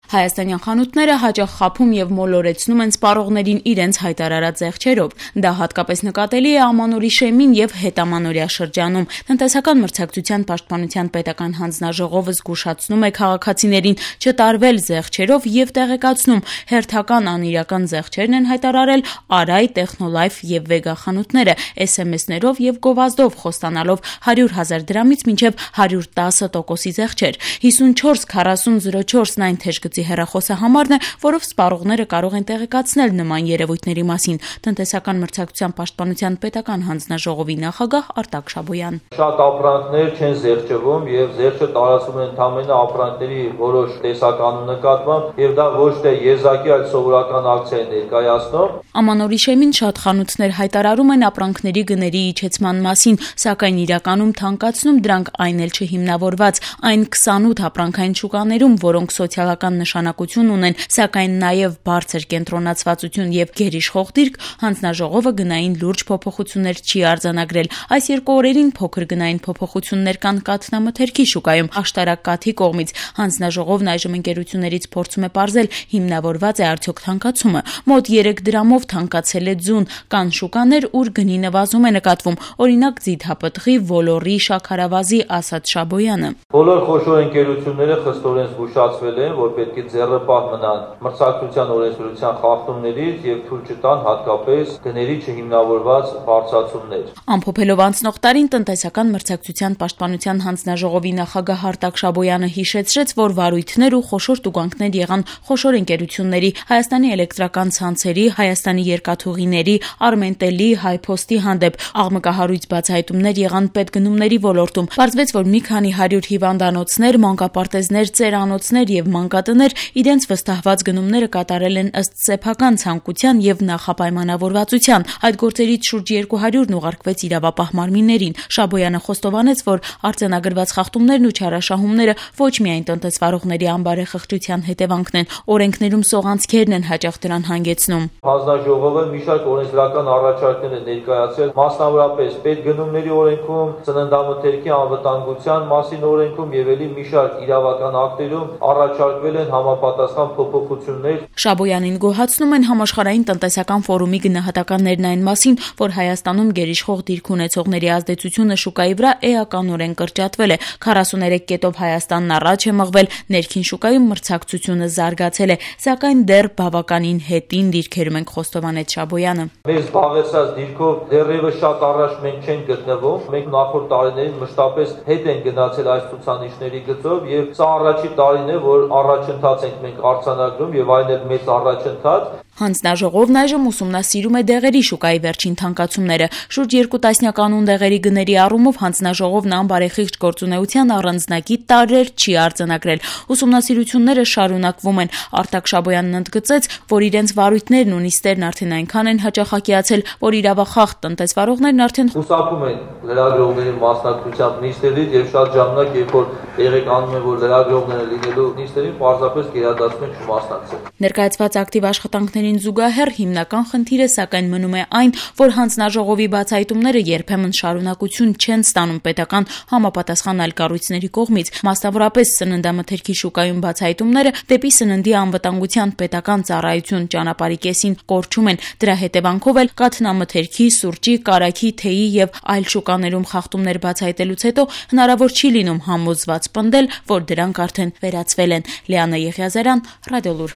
Հայաստանյան խանութները հաճախ խաբում եւ մոլորեցնում են սպառողներին իրենց հայտարարած զեղչերով։ Դա հատկապես նկատելի է ամանորի շեմին եւ հետամանորյա շրջանում։ Տնտեսական մրցակցության պաշտպանության պետական հանձնաժողովը զգուշացնում է քաղաքացիներին չտարվել զեղչերով եւ տեղեկացնում՝ հերթական անիրական զեղչերն են հայտարարել Արայ, Տեխնոլայֆ եւ Վեգա խանութները SMS-ներով եւ գովազդով խոստանալով 100,000 դրամից մինչեւ 110% զեղչեր։ 544004-ն այն թեժգծի հեռախոսահամարն է, որով սպառողները կարող են տեղեկացնել նման երևույթների մասին։ Տնտեսական մրցակցության պաշտպանության պետական հանձնաժողովի նախագահ Արտակ Շաբոյան. Շատ ապրանքներ չեն զեղչվում եւ զեղչը տարածվում են ընդամենը ապրանքների որոշ տեսականու նկատմամբ եւ դա ոչ թե եզակի, այլ սովորական ակցիա է ներկայացնում։ Ամանորի շեմին շատ խանութներ հայտարարում են ապրանքների գների իջեցման մասին, սակայն իրականում թանկացնում դրանք այն էլ չհիմնավորված, այն 28 ապրանքային շուկաներում, որոնք սոցիալական նշանակություն ունեն, սակայն նաև բարձր կենտրոնացվածություն եւ գերիշխող դիրք, հանձնաժողովը գնային լուրջ փոփոխություններ չի արձանագրել։ Այս երկու օրերին փոքր գնային փոփոխություններ կան կաթնամթերքի շուկայում աշտարակ կաթի կողմից։ Հանձնաժողովն այժմ ընկերություններից փորձում է պարզել, հիմնավորված է արդյոք թանկացումը։ Մոտ 3 դրամով թանկացել է ձուն, կան շուկաներ, ուր գնի նվազում է նկատվում, օրինակ ձիթապտղի, ոլորի, շաքարավազի, ասաց Շաբոյանը։ Բոլոր խոշոր ընկերությունները խստորեն զգուշացվել են, որ պետք է ձեռնպահ մնան մրցակցության օրենսդրության խախտումներից եւ թույլ չտան հատկապես գների չհիմնավորված բարձրացումներ։ Ամփոփելով անցնող տարին տնտեսական մրցակցության պաշտպանության հանձնաժողովի նախագահ Արտակ Շաբոյանը հիշեցրեց, որ վարույթներ ու խոշոր տուգանքներ եղան խոշոր ընկերությունների, Հայաստանի էլեկտրական ցանցերի, Հայաստանի երկաթուղիների, Արմենտելի, Հայփոստի հանդեպ, աղմկահարույց բացահայտումներ եղան պետգնումների ոլորտում։ Պարզվեց, որ մի քանի 100 հիվանդանոցներ, մանկապարտեզներ, ծերանոցներ եւ մանկատներ իրենց վստահված գնումները կատարել են ըստ սեփական ցանկության եւ նախապայմանավորվածության։ Այդ գործերից շուրջ 200-ն ուղարկվեց իրավապահ մարմիններին։ Շաբոյանը խոստովանեց, որ արձանագրված խախտումներն ու չարաշահումները ոչ միայն տնտեսվարողների անբարեխղճության հետևանքն են, օրենքներում սողանցքերն են հաճախ դրան հանգեցնում։ Հանձնաժողովը մի շարք օրենսդրական առաջարկներ է ներկայացրել, մասնավորապես պետգնումների օրենքում, ծննդամթերքի անվտանգության մասին օրենքում եւ ելի մի շարք իրավական ակտերում առաջարկվել են համապատասխան փոփոխություններ։ Շաբոյանին գոհացնում են համաշխարհային տնտեսական ֆորումի գնահատականներն այն մասին, որ Հայաստանում գերիշխող դիրք ունեցողների ազդեցությունը շուկայի վրա էականորեն կրճատվել է։ 43 կետով Հայաստանն առաջ է մղվել, ներքին շուկայում մրցակցությունը զարգացել է, սակայն դեռ բավականին հետին դիրքերում ենք, խոստովանեց Շաբոյանը։ Մեր զբաղեցած դիրքով դեռևս շատ առաջ մենք չենք գտնվում։ Մենք նախորդ տարիներին մշտապես հետ են գնացել այս ցուցանիշների գծով եւ սա առաջի տարին է, որ առաջընթաց ենք մենք արձանագրում եւ այն էլ մեծ առաջընթաց։ Հանձնաժողովն այժմ ուսումնասիրում է դեղերի շուկայի վերջին թանկացումները։ Շուրջ 2 տասնյականուն դեղերի գների առումով հանձնաժողովն անբարեխիղճ գործունեության առանձնակի տարրեր չի արձանագրել։ Ուսումնասիրությունները շարունակվում են։ Արտակ Շաբոյանն ընդգծեց, որ իրենց վարույթներն ու նիստերն արդեն այնքան են հաճախակիացել, որ իրավախախտ տնտեսվարողներն արդեն խուսափում են լրագրողների մասնակցությամբ նիստերից եւ շատ ժամանակ, երբ որ տեղեկանում են, որ լրագրողները լինելու նիստերին, պարզապես գերադասում են չմասնակցել։ Ներկայացված ակտիվ աշխատանքներին զուգահեռ հիմնական խնդիրը սակայն մնում է այն, որ հանձնաժողովի բացահայտումները երբեմն շարունակություն չեն ստանում պետական համապատասխան այլ կառույցների կողմից, մասնավորապես սննդամթերքի շուկայում բացահայտումները դեպի սննդի անվտանգության պետական ծառայություն ճանապարհի կեսին կորչում են։ Դրա հետևանքով էլ կաթնամթերքի, սուրճի, կարագի, թեյի եւ այլ շուկաներում խախտումներ բացահայտելուց հետո հնարավոր չի լինում համոզված պնդել, որ դրանք արդեն վերացվել են։ Լիանա Եղիազարյան, Ռադիոլուր։